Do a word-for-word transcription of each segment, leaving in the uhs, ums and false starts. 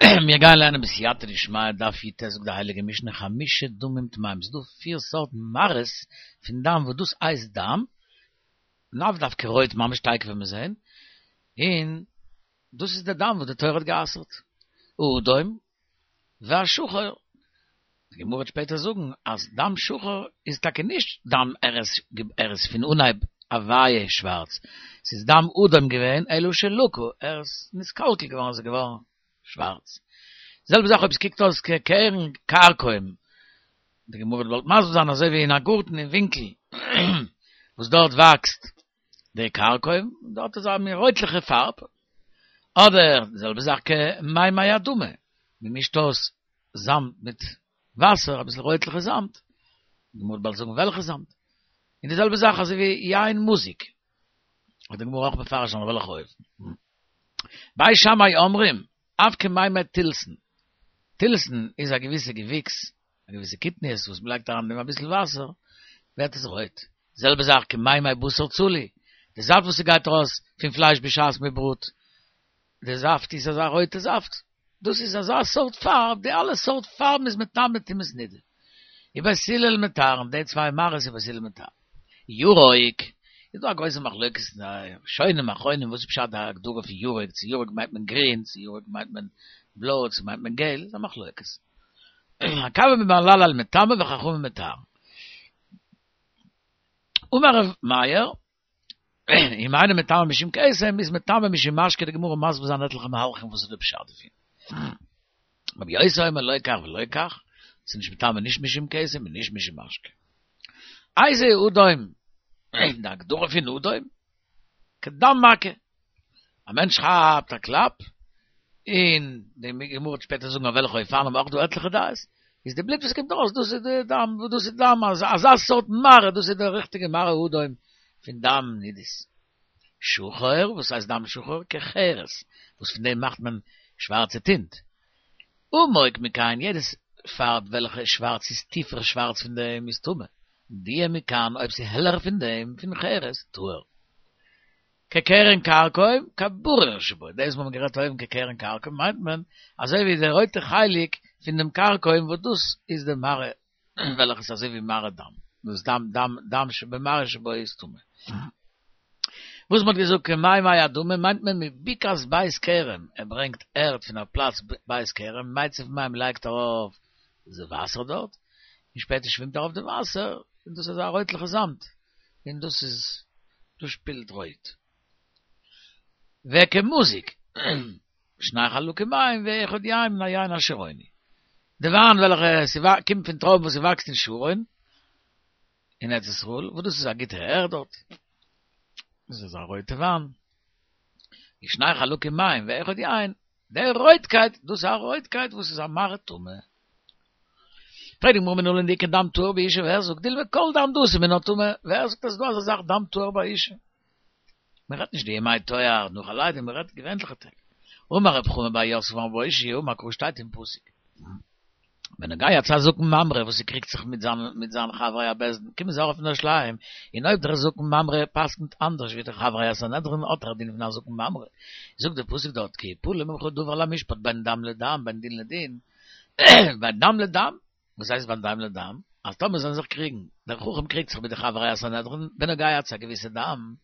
מיר גייען לערנען בסייעתא דשמיא דף י"ט זאגט די הייליגע משנה חמשה דמים טמאים ס'איז דא פיר סארטן מראות פון דם וואס דאס הייסט דם, לאו דווקא רויט ממש תיכף וועט מען זעהן, און דאס איז די דם וואס די תורה האט גע'אסר'ט, האדום והשחור, די גמרא וועט שפעטער זאגן אז דם שחור איז טאקע נישט דם ער איז ער איז פון אנהייב הוויה שווארץ, ס'איז דם אדום געווען אלא שלקה ער איז נתקלקל געווארן איז ער געווארן שווארץ. די זעלבע זאך אויב ס'קוקט אויס כקרן כרכום, די גמרא וועט באלד מסביר זיין אזוי ווי אין א גארטן אין ווינקל וואס דארט וואקסט די כרכום, דארט איז א מין רויטליכע פארב, אדער די זעלבע זאך כמימי אדמה, מ'מישט אויס זאמד מיט וואסער, אביסל רויטליכע זאמד, די גמרא וועט באלד זאגן וועלכע זאמד, און די זעלבע זאך אזוי ווי יין מזוג, וועט די גמרא אויך מפרש זיין אויף וועלכע אופן. בית שמאי אומרים, אף כמימי תלתן, תלתן איז א געוויסע געוויקס, א געוויסע קטניות וואס מ'לייגט אריין אין דעם אביסל וואסער, ווערט עס רויט. זעלבע זאך כמימי בשר צלי, די זאפט וואס ס'גייט ארויס פון פלייש בשעת מ'בראט, די זאפט איז אזא רויטע זאפט, דאס איז אזא סארט פארב, די אלע סארט פארבן איז מטמא טומאת נידה. ובית הלל מטהרין, די צוויי מראות איז בית הלל מטהר. ירוק, איז דא א גרויסע מחלוקת אין די ראשונים אחרונים וואס איז פשט די הגדרה פון ירוק, צו ירוק מיינט מען גרין, צו ירוק מיינט מען בלוי, צו מיינט מען געל, איז א מחלוקת. עקביא בן מהללאל מטמא וחכמים מטהרין. אמר ר' מאיר, אם אינו מטמא משום כתם, איז מטמא משום משקה, די גמרא מסביר זיין עטליכע מהלכים וואס איז די פשט דערפון. רבי יוסי אומר לא כך ולא כך, ס'איז נישט מטמא נישט משום כתם און נישט משום משקה. איזהו אדום, די הגדרה פון אדום, כדם מכה, א מענטש כאפט א קלאפ, און די גמרא וועט שפעטער זאגן אויף וועלכע אופנים אויך דא עטליכע דעות, איז די בלוט וואס קומט ארויס דאס איז די דם, דאס איז דם, אזא סארט מראה, דאס איז די ריכטיגע מראה אדום פון דם נידות. שחור, וואס הייסט דם שחור? כחרס, וואס פון דעם מאכט מען שווארצע טינט. עמוק מכאן, יעדעס פארב וועלכע איז שווארץ איז טיפער שווארץ פון דעם איז טמא. דהייה מכאן, אויב ס'איז העלער פון דעם, פון חרס, טהור. כקרן כרכום, כבריר שבו, דאס וואס מ'האט גערעדט אויבן כקרן כרכום מיינט מען אזוי ווי די רויטע חלק פון דעם כרכום וואס דאס איז די מראה וועלכע איז אזוי ווי מראה דם, דאס דם דם דם שבמראה שבו איז טמא. וואס מ'האט געזאגט כמימי אדמה מיינט מען מבקעת בית כרם, ער ברענגט ערד פון א פלאץ בית כרם, מיצף מים לייגט ארויף די וואסער דארט, און שפעטער שווימט ארויף די וואסער, און דאס איז א רויטליכע זאמד, און דאס איז דאס שפילט רויט. וכמזוג, שני חלקים מים ואחד יין מן היין השרוני. די וויין וועלכע ס'קומט פון טרויבן וואס ס'וואקסט אין שרון, אין ארץ ישראל, וואס דאס איז א גוטע ערד דארט. דאס איז א רויטע וויין. שני חלקים מים ואחד יין, די רויטקייט, דאס איז א רויטקייט וואס איז א מראה טמא. פרעגט די גמרא מנלן דאיכא דם טהור באשה ווער זאגט דילמא כל דם דאתי מינה טמא, ווער זאגט אז ס'דא אזא זאך דם טהור ביי אשה? מען רעדט נישט די ימי טוהר נאך א לידה, מען רעדט געווענליכע טעג. אמר רב חמא בר יוסף אמר רב אושעיא אמר קרא שטייט אין פסוק בנוגע צו א זקן ממרא וואס ס'קריגט זיך מיט זיין מיט זיין חברי הבית דין קומען זיי ארויף אין ירושלים און אויב דער זקן ממרא פסק'נט אנדערש ווי די חברי הסנהדרין האט ער א דין פון א זקן ממרא זאגט דער פסוק דארט כי יפלא ממך דבר למשפט בין דם לדם בין דין לדין בין דם לדם, וואס הייסט בין דם לדם? אז טאמער זאלן זיך קריגן, דער חכם קריגט זיך מיט די חברי הסנהדרין בנוגע צו א געוויסע דם,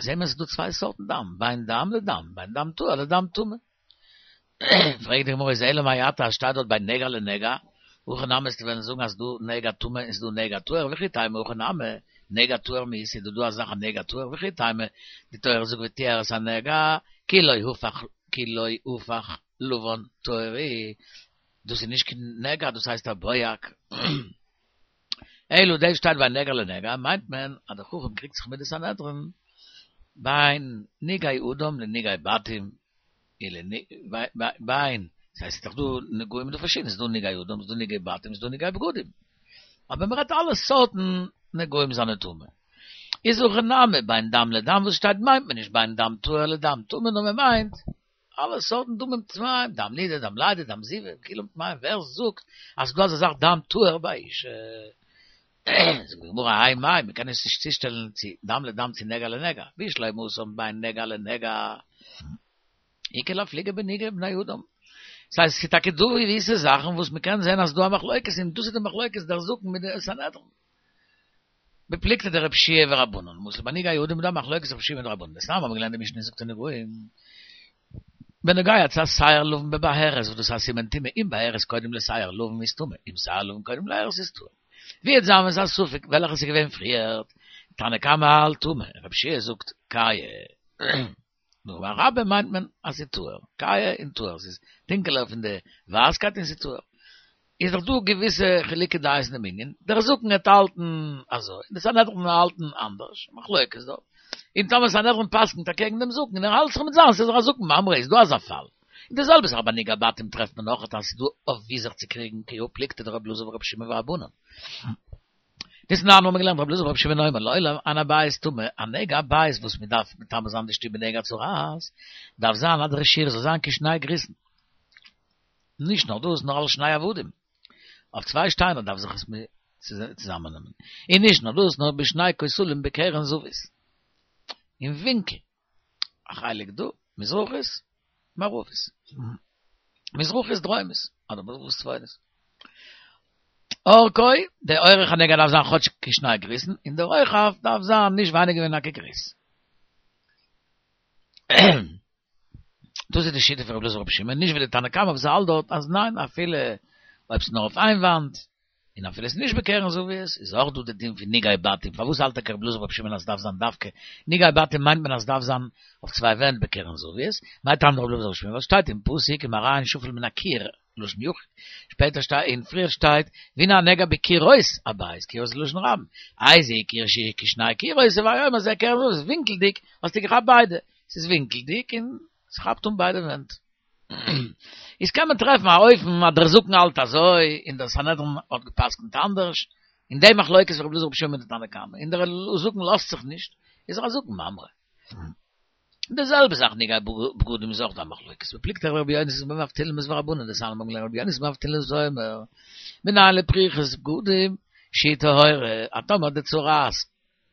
זעהן מיר עס איז דא צוויי סארטן דם, בין דם לדם, בין דם טהור לדם טמא. פרעגט די גמרא איז אלא מעתה אז שטייט דארט בין נגע לנגע, הכי נמי וועסטו וועלן זאגן אז ס'דא נגע טמא און ס'דא נגע טהור, וכי תימא הכי נמי, נגע טהור מי איתא, איז דא דא א זאך א נגע טהור, וכי תימא, די תורה זאגט וטהר את הנגע, כי לא הפך כי לא הפך לבן טהור הוא, דאס איז נישט קיין נגע דאס הייסט א בוהק. אלא דאס שטייט בין נגע לנגע מיינט מען אז דער חכם קריגט זיך מיט די סנהדרין בין נגעי אדם לנגעי בתים בין ס'הייסט ס'איז דאך דא נגעים איז דא פארשידענע ס'איז דא נגעי אדם ס'איז דא נגעי בתים ס'איז דא נגעי בגדים אבער מ'רעדט אלע סארטן נגעים זענען טמא איז הכא נמי בין דם לדם וואס שטייט מיינט מען נישט בין דם טהור לדם טמא נאר מ'מיינט אלע סארטן דמים טמאים, דם נידה, דם לידה, דם זיבה, כולם טמאים, ווער זאגט אז ס'דא אזא זאך דם טהור ביי אשה? זאגט די גמרא האי מאי, מ'קען עס נישט צושטעלן צו דם לדם צו נגע לנגע, בשלמא התם בין נגע לנגע, איכא לאפלוגי בנגעי בני אדם. ס'הייסט, ס'איז טאקע דא געוויסע זאכן וואס מ'קען זען אז דא א מחלוקת, און דאס איז די מחלוקת דער זקן מיט די סנהדרין. בפלוגתא דרבי יהושע ורבנן, למשל ביי נגעי אדם איז דא א מחלוקת רבי יהושע מיט רבנן. דתנן האבן געלערנט די משנה זאגט אין נגעים, בנוגע צו א שער לבן בבהרת וואס דאס איז א סימן טומאה, אם בהרת קודם לשער לבן איז טמא, אם שער לבן קודם להרת איז טהור. ווי וועט זיין ווען ס'איז א ספק וועלכע ס'איז געווען פריערט, תנא קמא האלט טמא, רבי יהושע זאגט כהה. נו, ביי רבה מיינט מען אז ס'איז טהור, כהה און טהור, ס'איז טונקעלער פון די ווייסקייט און ס'איז טהור. איז דאך דא געוויסע חילוקי דעות אין דעם ענין, דער זקן וועט האלטן אזוי, און די סנהדרין וועט האלטן אנדערש, מחלוקת דא. און טאמער סנהדרין פסק'נט אקעגן דעם זקן און ער האלט זיך מיט זיינס איז ער א זקן ממרא, איז דא אזא פאל? און די זעלבע זאך ביי נגעי בתים טרעפט מען אויך אז ס'איז דא אויף ווי זיך צו קריגן כי הא פלוגתא דרבי אלעזר ורבי שמעון ורבנן. דתנן האבן מיר געלערנט רבי אלעזר ורבי שמעון אומר לעולם אין הבית טמא, א נגע הבית וואס מען דארף מטמא זיין די שטוב בנגע הצרעת דארף זיין אז דער שיעור זאל זיין כשני גריסין. נישט נאר דאס נאר על שני עבדים. אויף צוויי שטיינער דארף זיך עס צוזאמעננעמען. און נישט נאר דאס נאר בשני כותלים בקרן זווית. אין ווינקל. א חלק דא, מזרחית, מערבית. מזרחית דרומית, אדער מזרחית צפונית. אורכו, די אורך הנגע דארף זיין כאטש כשני גריסין, און די רוחב דארף זיין נישט ווייניגער ווי א כגריס. דאס איז די שיטה פון רבי אלעזר ורבי שמעון, נישט ווי די תנא קמא וואס האלט דארט אז ניין אפילו אויב ס'איז נאר אויף איין וואנט, און אפילו ס'איז נישט בקרן זווית, איז אויך דא די דין פון נגעי בתים, פארוואס האלט טאקע רבי אלעזר ורבי שמעון אז ס'דארף זיין דווקא נגעי בתים מיינט מען אז ס'דארף זיין אויף צוויי ווענט בקרן זווית, מאי טעמא דרבי אלעזר ורבי שמעון ווייל ס'שטייט אין פסוק ומראה שפל מן הקיר לשון יחיד, שפעטער שטייט און פריער שטייט והנה הנגע בקירות הבית, קירות איז לשון רבים, איזהו קיר שהוא כשני קירות הוי אומר זה קרן זווית, ווינקלדיג האסטו געכאפט ביידע, ס'איז ווינקלדיג און ס'כאפט אן ביידע ווענט. איז קען מען טרעפן א אופן אז דער זקן האלט אזוי און דער סנהדרין האט גע'פסק'נט אנדערש, אין די מחלוקת פון רבי אלעזר רבי שמעון מיט די תנא קמא, און דער זקן לאזט זיך נישט, איז ער א זקן ממרא. די זעלבע זאך נגעי בגדים איז אויך דא א מחלוקת, בפלוגתא דרבי יונתן בן אבטילמוס ורבנן דתנן האבן געלערנט רבי יונתן בן אבטילמוס אומר, מנין לפריכת בגדים שהיא טהורה, אז טאמער די צרעת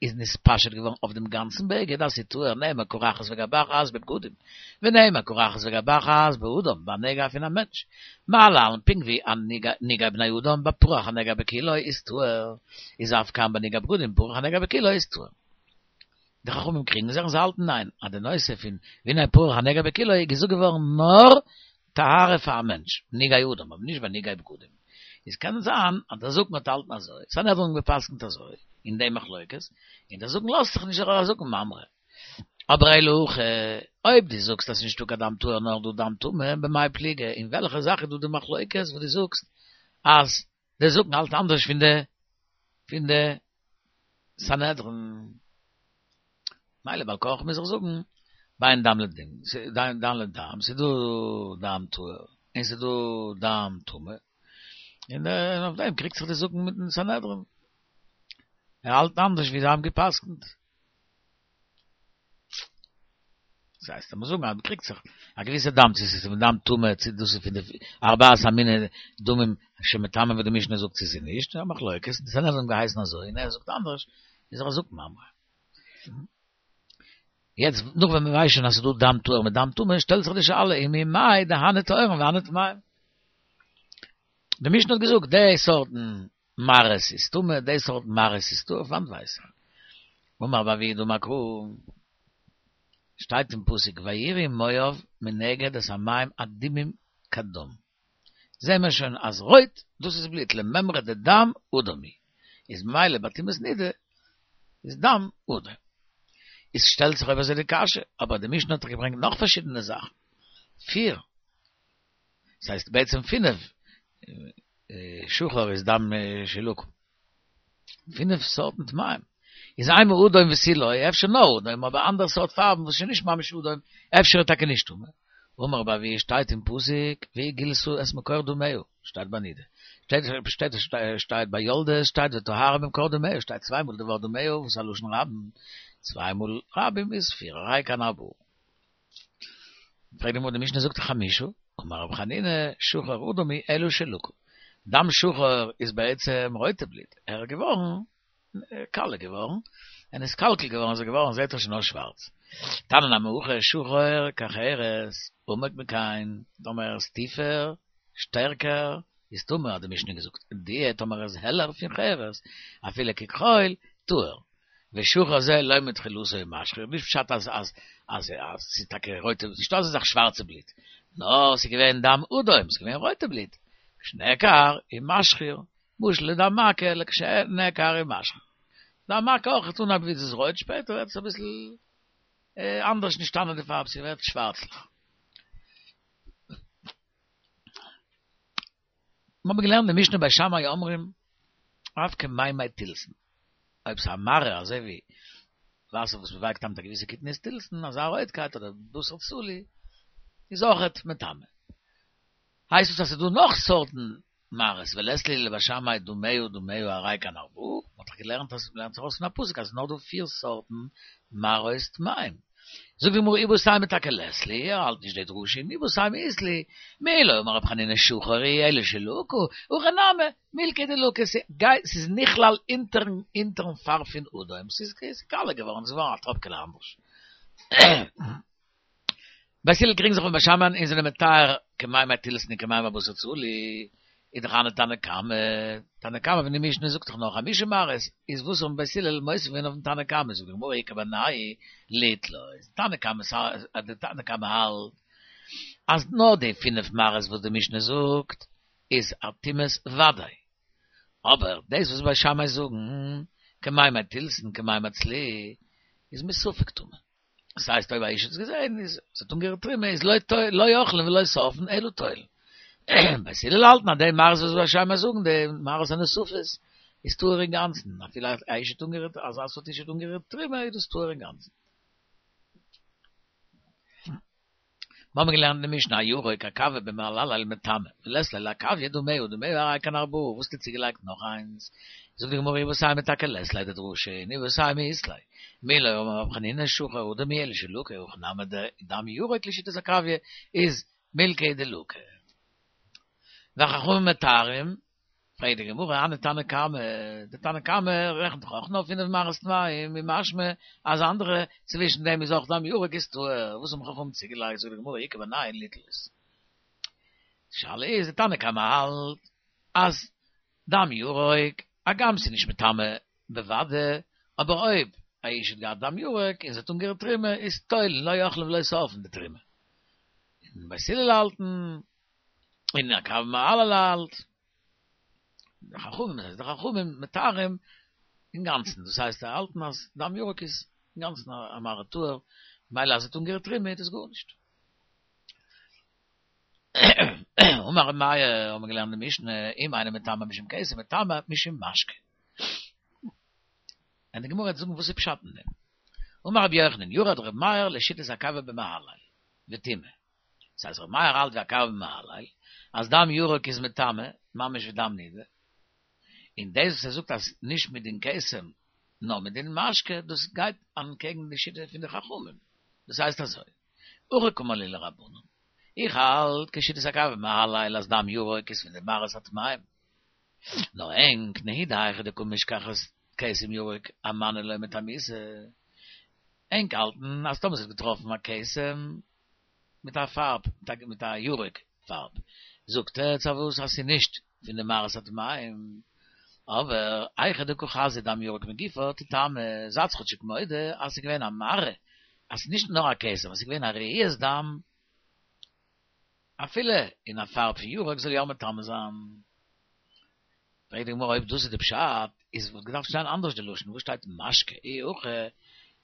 איז נתפשט געווארן אויף דעם גאנצן בגד אז ס'איז טהור נאמר קרחת וגבחת בבגדים, ונאמר קרחת וגבחת באדם, ביי נגע פון א מענטש. מה להלן פונקט ווי א נגעי בני אדם בפרח הנגע בכולו איז טהור, איז אף כאן בנגעי בגדים פרח הנגע בכולו איז טהור. די חכמים קריגן זיך און זיי האלטן ניין, אז די נושא פון והנה פרח הנגע בכולו איז געזאגט געווארן נאר טהרה פאר א מענטש, נגעי אדם, אבער נישט ביי נגעי בגדים. איז קען זיין אז דער זקן האט געהאלטן אזוי, סנהדרין האבן געפסקנט אזוי, אין די מחלוקת, און דער זקן לאזט זיך נישט ער איז א זקן ממרא. אבער אלא הכא, אויב דו זאגסט אז ס'איז נישטא קיין דם טהור נאר דא דם טמא, במאי פליגי, אין וועלכע זאך איז דא די מחלוקת וואס דו זאגסט אז דער זקן האלט אנדערש פון די פון די סנהדרין? מילא בעל כרחך מוז איך זאגן, בין דם לדם, דם לדם, ס'איז דא דם טהור, און ס'איז דא דם טמא, און אויף דעם קריגט זיך די זקן מיטן סנהדרין. ער האלט אנדערש ווי זיי האבן גע'פסק'נט. דאס הייסט, לאמיר זאגן אז מ'קריגט זיך א געוויסע דם, צו ס'איז פון דם טמא, צו דאס איז פון די ארבעת המיני דמים שמטמאים ווי די משנה זאגט צו ס'איז נישט, א מחלוקת, די סנהדרין האבן געהייסן אזוי און ער זאגט אנדערש, איז ער א זקן ממרא. יעצט נאך ווען מ'ווייסט שוין אז ס'איז דא דם טהור מיט דם טמא, שטעלט זיך די שאלה, וממאי דהני טהורין והני טמאין? די משנה האט געזאגט די סארטן מראות איז טמא, די סארט מראות איז טהור, פון וואנעט ווייס איך? אמר רב אבהו דאמר קרא, שטייט אין פסוק ויראו מואב מנגד את המים אדומים כדם, זעהן מיר שוין אז רויט דאס איז בלוט, למימרא דדם אדום הוא, איז ממילא ביי טומאת נידה איז דם אדום. איז שטעלט זיך אויב אזוי די קשיא, אבער די משנה האט דאך געברענגט נאך פארשידענע זאכן, פיר, ס'הייסט בעצם פינף, שחור איז דם שלוק, פינף סארטן טמאים, איז אימא אדום ותו לא, אפשר נאר אדום, אבער אנדערע סארט פארבן וואס איז שוין נישט ממש אדום, אפשר איז טאקע נישט טמא. אמר רב אבהו שטייט אין פסוק והגילתה את מקור דמיה, שטייט ביי נידה, שטייט שטייט ביי יולדת שטייט וטהרה ממקור דמיה, שטייט צוויי מאל די ווארט דמיה וואס איז א לשון רבים, צוויי מאל רבים איז פיר, הרי כאן ארבעה. פרעגט די גמרא די משנה זאגט חמשה, אמר רבי חנינא שחור אדום הוא אלא שלקה, דם שחור איז בעצם רויטע בלוט, ער איז געווארן קאלע געווארן, און איז קאלקל געווארן, איז ער געווארן זעט ער שוין אויס שווארץ. תנא נמי הכי שחור כחרס, עמוק מכאן, טאמער ער איז טיפער, שטערקער, איז טמא, האט די משנה געזאגט, דיע טאמער ער איז העלער פון חרס, אפילו ככחול, טהור. ושחור זה לא מתחילתו משחיר, נישט פשט אז אז אז אז ס'איז טאקע רויטע, נישטא אזא זאך שווארצע בלוט, נאר ס'איז געווען דם אדום, ס'איז געווען רויטע בלוט, כשנעקר איז משחיר, משל לדם מכה, לכשנעקר איז משחיר. דם מכה אויך, אנהייב ווי ס'איז רויט, שפעטער ווערט עס אביסל אנדערש נשתנה די פארב, ס'ווערט שווארצליך. מיר האבן געלערנט די משנה בית שמאי אומרים, אף כמימי תילסן. אויב ס'איז א מראה אזוי ווי וואסער וואס מ'ווייקט איין מיט א געוויסע קטניות תילסן, אזא רויטקייט אדער בשר צלי, איז אויכעט מטמא. הייסט עס אז ס'איז דא נאך סארטן מראות, ולית להו לבית שמאי דמיה דמיה הרי כאן ארבעה, מ'האט דאך געלערנט אז מ'לערנט זיך ארויס פון א פסוק אז ס'איז נאר דא פיר סארטן מראות טמאים. זאגט די גמרא איבעית אימא טאקע לית להו, ער האלט נישט די דרשה, און איבעית אימא אית להו, מי לא אמר רב חנינא שחור הוא אלא שלקה, הכא נמי, מילקא דלקה, ס'גייט ס'איז נכלל אונטערן אונטערן פארב פון אדום, ס'איז קאלע געווארן, ס'איז געווארן א טראפקעלע אנדערש. בית הלל קריגן זיך אויף בית שמאי און זענען מטהר כמימי תילסן און כמימי בשר צלי, איז דאך הני תנא קמא, תנא קמא פון די משנה זאגט דאך נאר חמשה מראות, איז וואס האבן בית הלל מוסיף געווען אויפן תנא קמא, זאגט די גמרא איכא בינייהו ליתלות, תנא קמא די תנא קמא האלט אז נאר די פינף מראות וואס די משנה זאגט איז א טומאת ודאי, אבער דאס וואס בית שמאי זאגן כמימי תילסן כמימי צלי איז מספק טמא. דאס הייסט אויב א איש האט עס געזען איז עס האט אנגערירט תרומה איז לא לא אוכלין ולא שורפין אלא תולין. בית הלל האלטן אז די מראות וואס בית שמאי זאגן די מראות הנוספות איז טהור אינגאנצן אפילו א איש האט אנגערירט אזא סארט איש האט אנגערירט תרומה איז דאס טהור אינגאנצן. מיר האבן געלערנט אין די משנה הירוק עקביא במהללאל מטמא ולית ליה לעקביא דמיה דמיה הרי כאן ארבעה וואס האסטו צוגעלייגט נאך איינס זאגט די גמרא איבעית אימא טאקע לית ליה דדרשה און איבעית אימא אית ליה מי לא אמר רב חנינא שחור אדום הוא אלא שלקה הכא נמי דם ירוק לשיטת עקביא איז מילקא דלקה וחכמים מטהרים פרעגט די גמרא, הני תנא קמא, די תנא קמא רעכנט דאך אויך נאר פינף מראות טמאים, און משמע אז אנדערע צווישן דעם איז אויך דם ירוק איז טהור, וואס האבן חכמים צוגעלייגט, זאגט די גמרא, איכא בינייהו ליתלות. די שאלה איז, די תנא קמא האלט אז דם ירוק, הגם ס'איז נישט מטמא בוודאי, אבער אויב א איש האט געהאט דם ירוק און ס'האט אנגערירט תרומה, איז תולין לא אוכלין ולא שורפין די תרומה. און בית הלל האלטן, און עקביא מהללאל האלט, די חכמים, דאס הייסט די חכמים מטהרים אינגאנצן, דאס הייסט זיי האלטן אז דם ירוק איז אינגאנצן א מראה טהור, ממילא אז עס האט אנגערירט תרומה איז דאס גארנישט. אמר ר' מאיר, האבן מיר געלערנט די משנה, אם אינו מטמא משום כתם, מטמא משום משקה. און די גמרא וועט זאגן וואס איז פשט אין דעם. אמר רבי יוחנן, ירד ר' מאיר לשיטת עקביא בן מהללאל, וטימא. דאס הייסט ר' מאיר האלט ווי עקביא בן מהללאל, אז דם ירוק איז מטמא, ממש ווי דם נידה, און דאס וואס ער זאגט אז נישט מדין כתם, נאר מדין משקה, דאס גייט אנטקעגן די שיטה פון די חכמים, דאס הייסט אזוי, הכי קאמר להו לרבנן, איך האלט כשיטת עקביא בן מהללאל אז דם ירוק איז פון די מראות הטמאים, נאר ענק נהי דהיכא דקא משכחת כתם ירוק אמאני לא מטמאיתו, ענק האלטן אז טאמער ס'האט געטראפן א כתם מיט א פארב, מיט א ירוק פארב, זאגט עטץ פארוואס אז ס'איז נישט פון די מראות הטמאים, אבער היכא דקא חזיא דם ירוק מגופה תטמא, זייטס כאטשיג מודה אז ס'איז געווען א מראה, אז ס'איז נישט נאר א כתם, אז ס'איז געווען א ראיית דם, אפילו אין א פארב פון ירוק זאל יא מטמא זיין. פרעגט די גמרא אויב דאס איז די פשט, איז וואלט געדארפט שטיין אנדערש די לשון, וואס שטייט משקה, אי הכי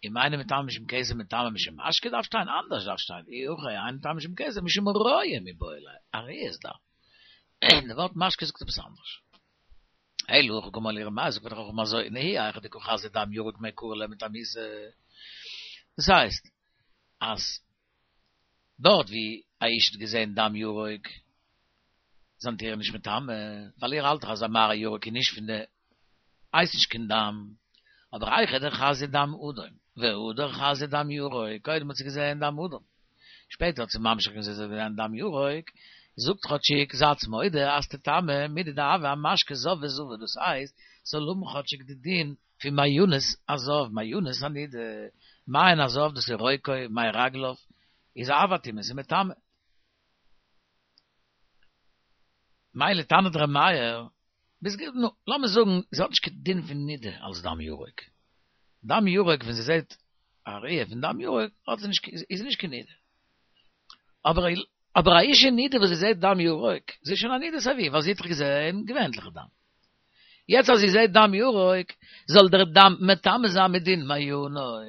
אם אינו מטמא משום כתם מטמא משום משקה דארף שטיין אנדערש דארף שטיין אי הכי אינו מטמא משום כתם משום רואה מיבעי ליה, א ראיית דם. די ווארט משקה זאגט עפעס אנדערש. אלא הכי קאמר להו ר' מאיר זאגט פאר די חכמים אזוי נהי היכא דקא חזיא דם ירוק מעיקרא לא מטמאיתו. דאס הייסט אז דארט ווי א איש האט געזען דם ירוק זענט איר נישט מטמא, ווייל איר האלט דאך אז א מראה ירוק איז נישט פון די, הייסט נישט קיין דם, אבער היכא דחזיא דם אדום, והדר חזיא דם ירוק, קודם האט זי געזען דם אדום, שפעטער האט זי ממשיך געווען זי האט געזען דם ירוק, זאגט כאטשיג זייטס מודה אז תטמא מידי דהוה אמשקה זב וזבה, דאס הייסט ס'זאל האבן כאטשיג די דין פון מעיינות הזב, מעיינות הנידה, מעיין הזב, דאס איז רוקו, מי רגליו, איז אב הטומאה, איז מטמא. מילא טענה'ט ר' מאיר, ביז גע, נו, לאמיר זאגן, זי האט נישט קיין דין פון נידה אלס דם ירוק. דם ירוק, ווען זי זעט א ראיה פון דם ירוק, האט זי נישט, איז זי נישט קיין נידה. אבער אבער א אישה נידה וואס זי זעט דם ירוק, זי איז שוין א נידה סייווי, ווייל זי האט דאך געזען געווענליכע דם. יעצט אז זי זעט דם ירוק, זאל דער דם מטמא זיין מדין מעיינות.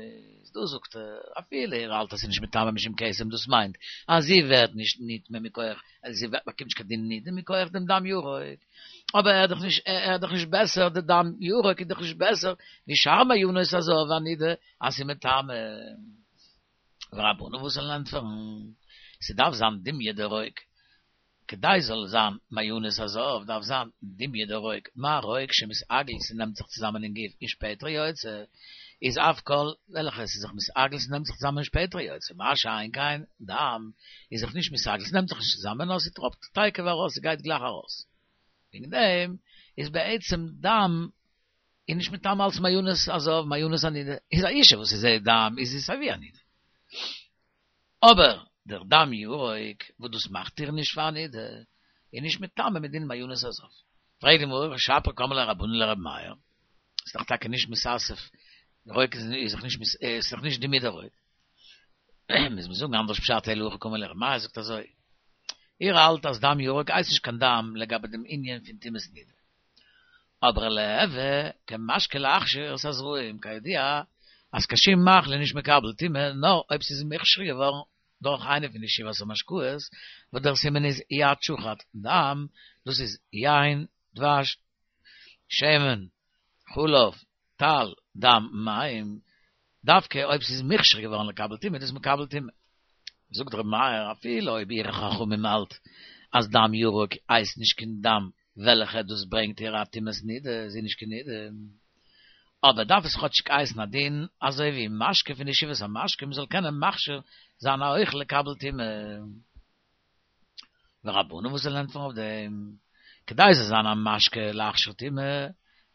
דא זאגט ער, אפילו ער האלט אז ס'איז נישט מטמא משום כתם, דאס מיינט אז זי ווערט נישט נטמא מכח, זי באקומט נישט קיין דין נידה מכח דעם דם ירוק. אבער ער איז דאך נישט, ער איז דאך נישט בעסער, דער דם ירוק איז דאך נישט בעסער ווי שאר מעיינות הזב והנידה אז ס'איז מטמא. ורבנן וואס זאלן ענטפערן, ס'דארף זיין דומיא דרוק, כדי זאל זיין מעיינות הזב דארף זיין דומיא דרוק, מה רוק שמתעגל ס'נעמט זיך צוזאמען אין גוף און שפעטער יוצא, איז אף כל וועלכע ס'איז זיך מתעגל ס'נעמט זיך צוזאמען און שפעטער יוצא, מה שאין כן דם איז זיך נישט מתעגל ס'נעמט זיך נישט צוזאמען נאר ס'טראפט תיכף ארויס ס'גייט גלייך ארויס, וועגן דעם איז בעצם דם איז נישט מטמא אלס מעיינות הזב, מעיינות הנידה איז א אישה וואס זי זעהט דם איז זי סייווי א נידה. אבער דער דם ירוק וואס דאס מאכט איר נישט פאר א נידה איז נישט מטמא מדין מעיינות הזב. פרעגט די גמרא שפיר קאמר ליה רבנן לרבי מאיר, איז דאך טאקע נישט מתאסף, רוק איז דאך נישט איז דאך נישט דומיא דרוק. מוז מען זאגן אנדערש פשט אלא הכי קאמר ליה רבי מאיר זאגט אזוי, איר האלט אז דם ירוק הייסט נישט קיין דם לגבי דעם ענין פון טומאת נידה. אבער ליהוי כמשקה להכשיר את הזרעים, כידוע אז קיין שום מאכל איז נישט מקבל טומאה נאר אויב ס'איז מוכשר געווארן דורך איינע פון די שבעת המשקאות, וואס דער סימן איז יד שחט דם, דאס איז יין, דבש, שמן, חלב, טל, דם, מים, דווקא אויב ס'איז מוכשר געווארן לקבל טומאה איז דאס מקבל טומאה. זאגט ר' מאיר אפילו אויב איר חכמים האלט אז דם ירוק הייסט נישט קיין דם וועלכע דאס ברענגט איר א טומאת נידה, זי איז נישט קיין נידה, אבער דארף עס כאטשיג הייסן א דין אזוי ווי משקה פון די שבעת המשקים מ'זאל קענען מכשיר זיין א אוכל לקבל טומאה. ורבנן וואס זאלן ענטפערן אויף דעם? כדי זאל זיין א משקה להכשיר טומאה,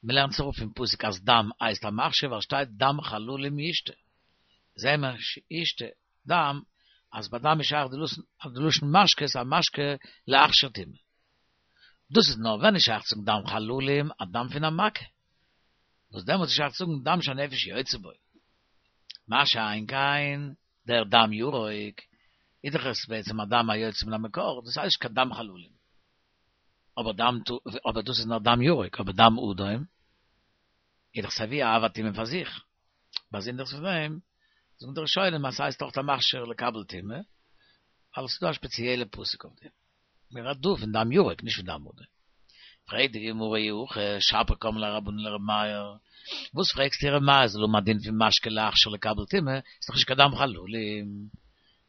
מ'לערנט זיך אפ פון פסוק אז דם הייסט א מכשיר ווייל שטייט דם חללים ישתה, זעהן מיר ישתה דם אז ביי דם איז שייך די לשון משקה איז א משקה להכשיר טומאה. דאס איז נאר ווען איז שייך צו זאגן דם חללים א דם פון א מכה, וואס דעמאלטס איז שייך צו זאגן דם שהנפש יוצא בו. מה שאין כן דער דם ירוק איז דאך עס בעצם א דם היוצא מן המקור, דאס הייסט נישט קיין דם חללים. אבער דם אבער דאס איז נאר דם ירוק, אבער דם אדום איז דאך סייווי א אב הטומאה פאר זיך. באזונדערס פון דעם זאגן די ראשונים אז ס'הייסט אויך א מכשיר לקבל טומאה, ווייל עס איז דא א שפעציעלע פסוק אויף דעם. מען רעדט דא פון דם ירוק, נישט פון דם אדום. פרעגט די גמרא אי הכי שפיר קאמר ליה רבנן לר' מאיר, וואס פרעגסטו ר' מאיר זאל האבן א דין פון משקה להכשיר לקבל טומאה, איז דאך נישט קיין דם חללים.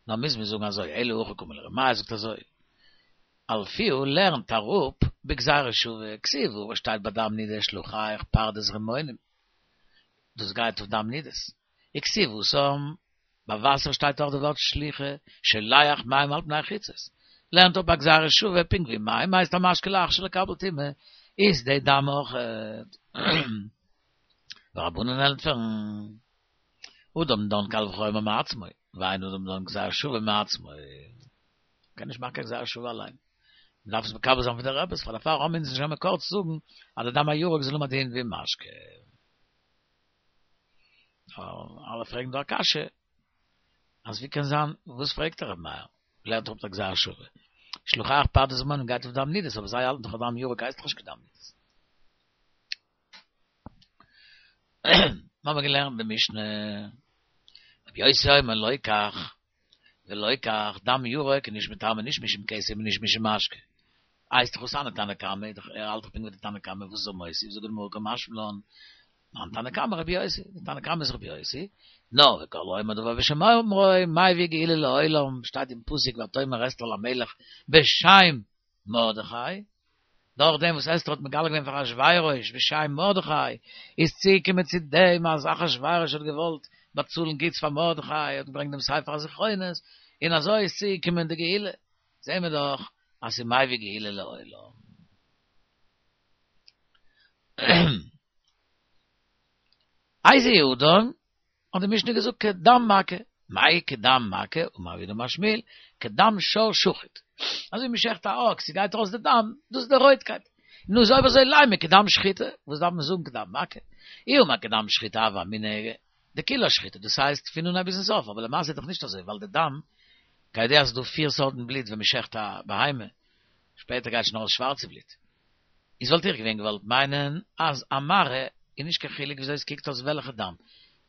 נאר מוז מען זאגן אזוי, אלא הכי קאמר ליה ר' מאיר זאגט אזוי, אלפיה לערנט אראפ בגזירה שווה, כתיב וואס שטייט ביי דם נידה שלחיך פרדס רמונים, דאס גייט אויף דם נידות, וכתיב התם, ביי וואסער שטייט אויך די ווארט שליחה, שולח מים על פני חוצות, לערנט אפ א גזירה שווה פונקט ווי מים הייסט א משקה להכשיר לקבל טומאה, איז די דם אויך. ורבנן ענטפערן, אדם דן קל וחומר מעצמו, ואין אדם דן גזירה שווה מעצמו. מ'קען נישט מאכן קיין גזירה שווה אליין. מ'דארף עס מקבל זיין פון די רבי'ס, פאר דערפאר האבן אונז נישט קיין מקור צו זאגן אז די דם הירוק זאל האבן א דין ווי משקה. אלע פרעגן דא א קשיא, אז ווי קען זיין, וואס פרעגט ר' מאיר? לערנט אפ א גזירה שווה. שלחיך פרדס רמונים גייט אויף דם נידות, אבער זיי האלטן דאך אז דם ירוק הייסט דאך נישט קיין דם נידות. מיר האבן געלערנט במשנה, רבי יוסי אומר לא כך ולא כך, דם ירוק איז נישט מטמא נישט משום כתם און נישט משום משקה. הייסט דאך הא תניא תנא קמא, ער האלט דאך פונקט ווי די תנא קמא, וואס איז ער מוסיף? זאגט די גמרא קא משמע לן, מאן תנא קמא רבי יוסי, די תנא קמא איז רבי יוסי, נו, וכל האומר דבר בשם אומרו, מביא גאולה לעולם, שטייט אין פסוק ותאמר אסתר למלך בשם מרדכי, דורך דעם וואס אסתר האט מגלה געווען פאר אחשורוש בשם מרדכי, איז צוגעקומען צו דעם אז אחשורוש האט געוואלט באצאלן גוטס פאר מרדכי, האט געברענגט דעם ספר הזכרונות, און אזוי איז צוגעקומען די גאולה, זעהן מיר דאך אז ס'איז מביא גאולה לעולם. איזהו אדם האט די משנה געזאגט כדם מכה, מאי כדם מכה, אמר רב יהודה אמר שמואל, כדם שור שחוט. אזוי ווי מ'שעכט א אקס, ס'גייט ארויס די דם, דאס איז די רויטקייט. נו איז אויב אזוי לימא כדם שחיטה, וואס דארף מען זאגן כדם מכה? אי אמר כדם שחיטה הוה אמינא דכולה שחיטה, דאס הייסט פון אנהייב ביזן סוף, אבער למעשה איז דאך נישט אזוי, ווייל די דם, כידוע אז ס'איז דא פיר סארטן בלוט ווען מ'שעכט א בהמה, שפעטער גייט שוין ארויס שווארצע בלוט. איז וואלט איך געווען געוואלט מיינען אז א מראה איז נישט קיין חילוק וויאזוי עס קוקט אויס וועלכע דם,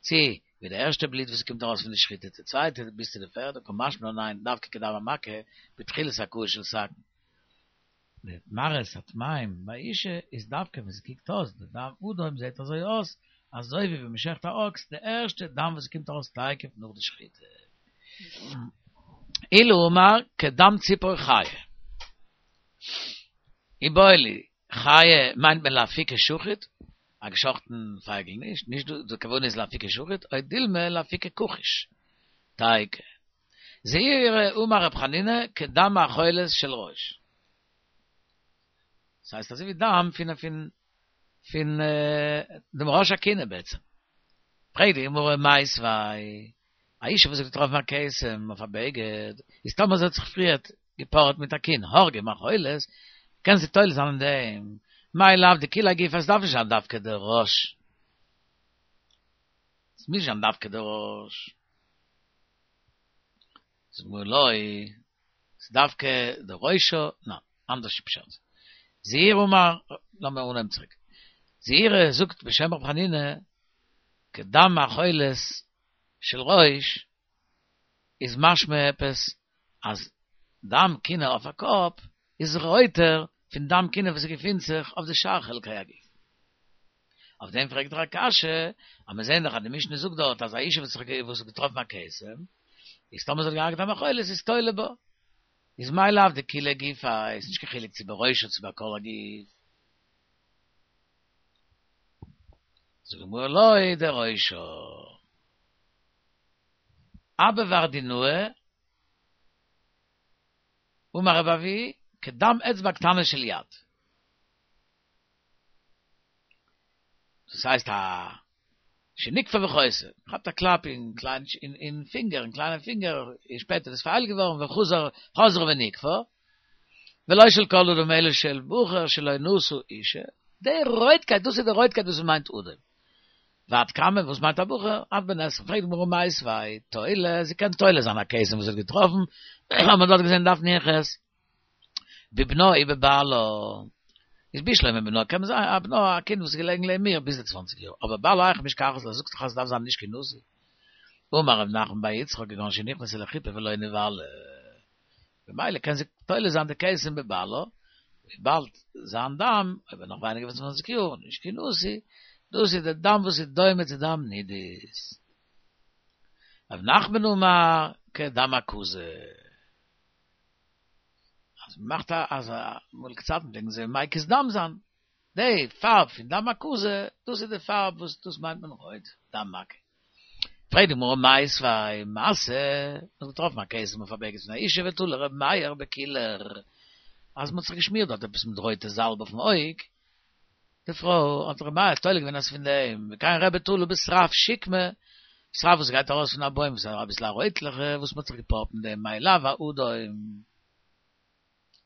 צו ווי די ערשטע בלוט וואס קומט ארויס פון די שחיטה, די צווייטע ביז צו די פערדע, קא משמע לן ניין, דווקא כדם המכה בתחילת הכאה של סכין. די מראות הטמאים ביי אישה איז דווקא ווען ס'קוקט אויס די דם אדום זעט אזוי אויס אזוי ווי ווען מ'שעכט א אקס די ערשטע דם וואס קומט ארויס תיכף נאך די שחיטה. עולא אמר כדם ציפור חיה. איבעיא להו, חיה מיינט מען לאפוקי שחוט, א געשאכטן פייגל נישט, נישט די כוונה איז לאפוקי שחוט, או דילמא לאפוקי כחוש. תיקו. זעירי אמר רב חנינא כדם מאכולת של ראש. דאס הייסט אזוי ווי דם פון פון פון דעם ראש הכינה בעצם. פרעגט די גמרא מיתיבי, א אישה וואס האט געטראפן א כתם אויף א בגד, איז טאמער זי האט זיך פריערט געפארעט מיט א כינה, הרגה מאכולת, קען זי תולה זיין אין דעם, מאי לאו דכוליה גופא, עס דארף נישט זיין דווקא דער ראש. עס מוז נישט זיין דווקא דער ראש. זאגט די גמרא לא, ס'איז דווקא דער ראשה, ניין, אנדערש פשט. זעירי אמר, לאמיר אנהייבן צוריק. זעירי זאגט בשם רב חנינא, כדם מאכולת של ראש, איז משמע עפעס אז דם כינה אויף א קאפ איז רויטער פון דם כינה וואס געפינט זיך אויף די שאר חלקי הגוף. אויף דעם פרעגט ער א קשיא, אז מיר זעען דאך אז די משנה זאגט דארט אז א אישה וואס האט געטראפן א כתם, איז טאמער זי האט געהארגעט א מאכולת איז תולה בה. איז מאי לאו דכוליה גופא, איז נישט קיין חילוק צו בראשה צו בכל הגוף. זאגט די גמרא לא דראשה. אבא ורדינאי, אמר רבי אבהו, כדם אצבע קטנה של יד. דאס הייסט א שנקפה וחוסה, כאפט א קלאפ אין קליין אין פינגער, אין קליינעם פינגער, און שפעטער איז פארהיילט געווארן וחזר חזרה ונקפה, ולא של כל אדם אלא של בחור שלא נשא אישה, די רויטקייט, דאס איז די רויטקייט וואס מ'מיינט אדום. ועד כמה, וואס מיינט א בחור? עד בן עשרים, פרעגט די גמרא מיתיבי, תולה, זי קען תולה זיין א כתם וואס זי האט געטראפן, האט מען דארט געזען דף נ"ח, בבנה ובבעלה, איז בשלמא בנה, קען מען זאגן א בנה א קינד וואס איז געלעגן לעבן איר ביז די צוואנציג יאר, אבער בעלה היכי משכחת לה, זאגסט דאך אז עס דארף זיין נישט קיין נשוי. אמר רב נחמן בר יצחק כגון שנכנסה לחופה ולא נבעלה, במילא קען זי תולה זיין די כתם בבעלה, וויבאלד זיין דם, אויב ער נאך ווייניגער פון צוואנציג יאר, נישט קיין נשוי, דאס איז די דם וואס איז דומה צו דם נידות. רב נחמן אמר כדם הקזה. אז מ'מאכט א אז אמאליגע צייטן פלעגן זיי מקיז דם זיין, די פארב פון דם הקזה, דאס איז די פארב וואס דאס מיינט מען רויט, דם מכה. פרעגט די גמרא מיתיבי משא, מ'האט געטראפן א כתם אויף א בגד פון א אישה ותלה ר' מאיר בקילור, אז מ'האט זיך געשמירט דארט עפעס מיט רויטע זאלב אויפן אויג, די פרוי האט ר' מאיר תולה געווען אז פון דעם, וכן רבי תלה בשרף שקמה, שרף וואס גייט ארויס פון א בוים וואס איז אביסל א רויטליכע וואס מ'האט זיך געפארבט מיט דעם מאי לאו אדום.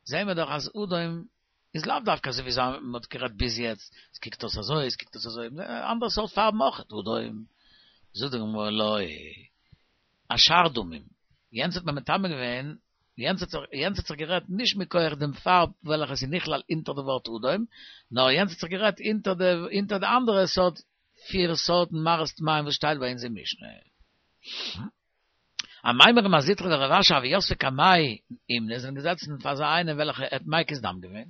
זעהן מיר דאך אז אדום איז לאו דווקא אזוי ווי מ'האט גערעדט ביז יעצט, עס קוקט אויס אזוי, עס קוקט אויס אזוי, אנדערע סארט פארבן אויך, אדום. זאגט די גמרא לא, אשאר דמים, יענץ האט מען מטמא געווען, יענץ האט זיך יענץ האט זיך גערעדט נישט מכח דעם פארב וועלכע איז נכלל אונטער די ווארט אדום, נאר יענץ האט זיך גערעדט אונטער די אונטער די אנדערע סארט פיר סארטן מראות טמאים וואס שטייט ביי אונז אין משנה. אמימר ומר זוטרא ורב אשי הוו יתבי קמיה אומנא זענען געזעצן פאר אזא איינעם וועלכע האט מקיז דם געווען,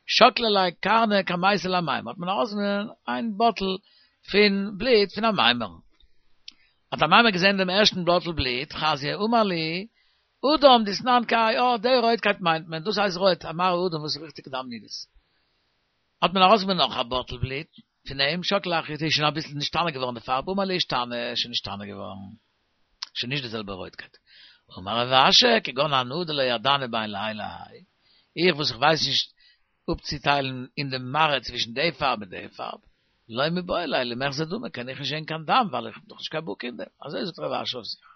שקלי ליה קרנא קמייתא לאמימר האט מען ארויסגענומען איין באטל פון בלוט פון אמימר'ן. האט אמימר געזען דעם ערשטן באטל בלוט, חזייה אמר להו, אדם דאתנן כהאי, אה, די רויטקייט מיינט מען, דאס הייסט רויט, א מראה אדום וואס איז ריכטיג דם נידות. האט מען ארויסגענומען נאך א באטל בלוט פון אים, שקלי אחריתי איז שוין אביסל נשתנה געווארן די פארב, אמר להו אשתני, שוין נשתנה געווארן, שוין נישט די זעלבע רויטקייט. אמר רב אשי, כגון אנא דלא ידענא בין להאי להאי, איך וואס איך ווייס נישט אפצוטיילן אין די מראה צווישן די פארב און די פארב, לא מיבעי ליה למיחזי דמא, קען איך נישט זען קיין דם, ווייל איך האב דאך נישט קיין בקי אין דעם. אזוי זאגט רב אשי אויף זיך.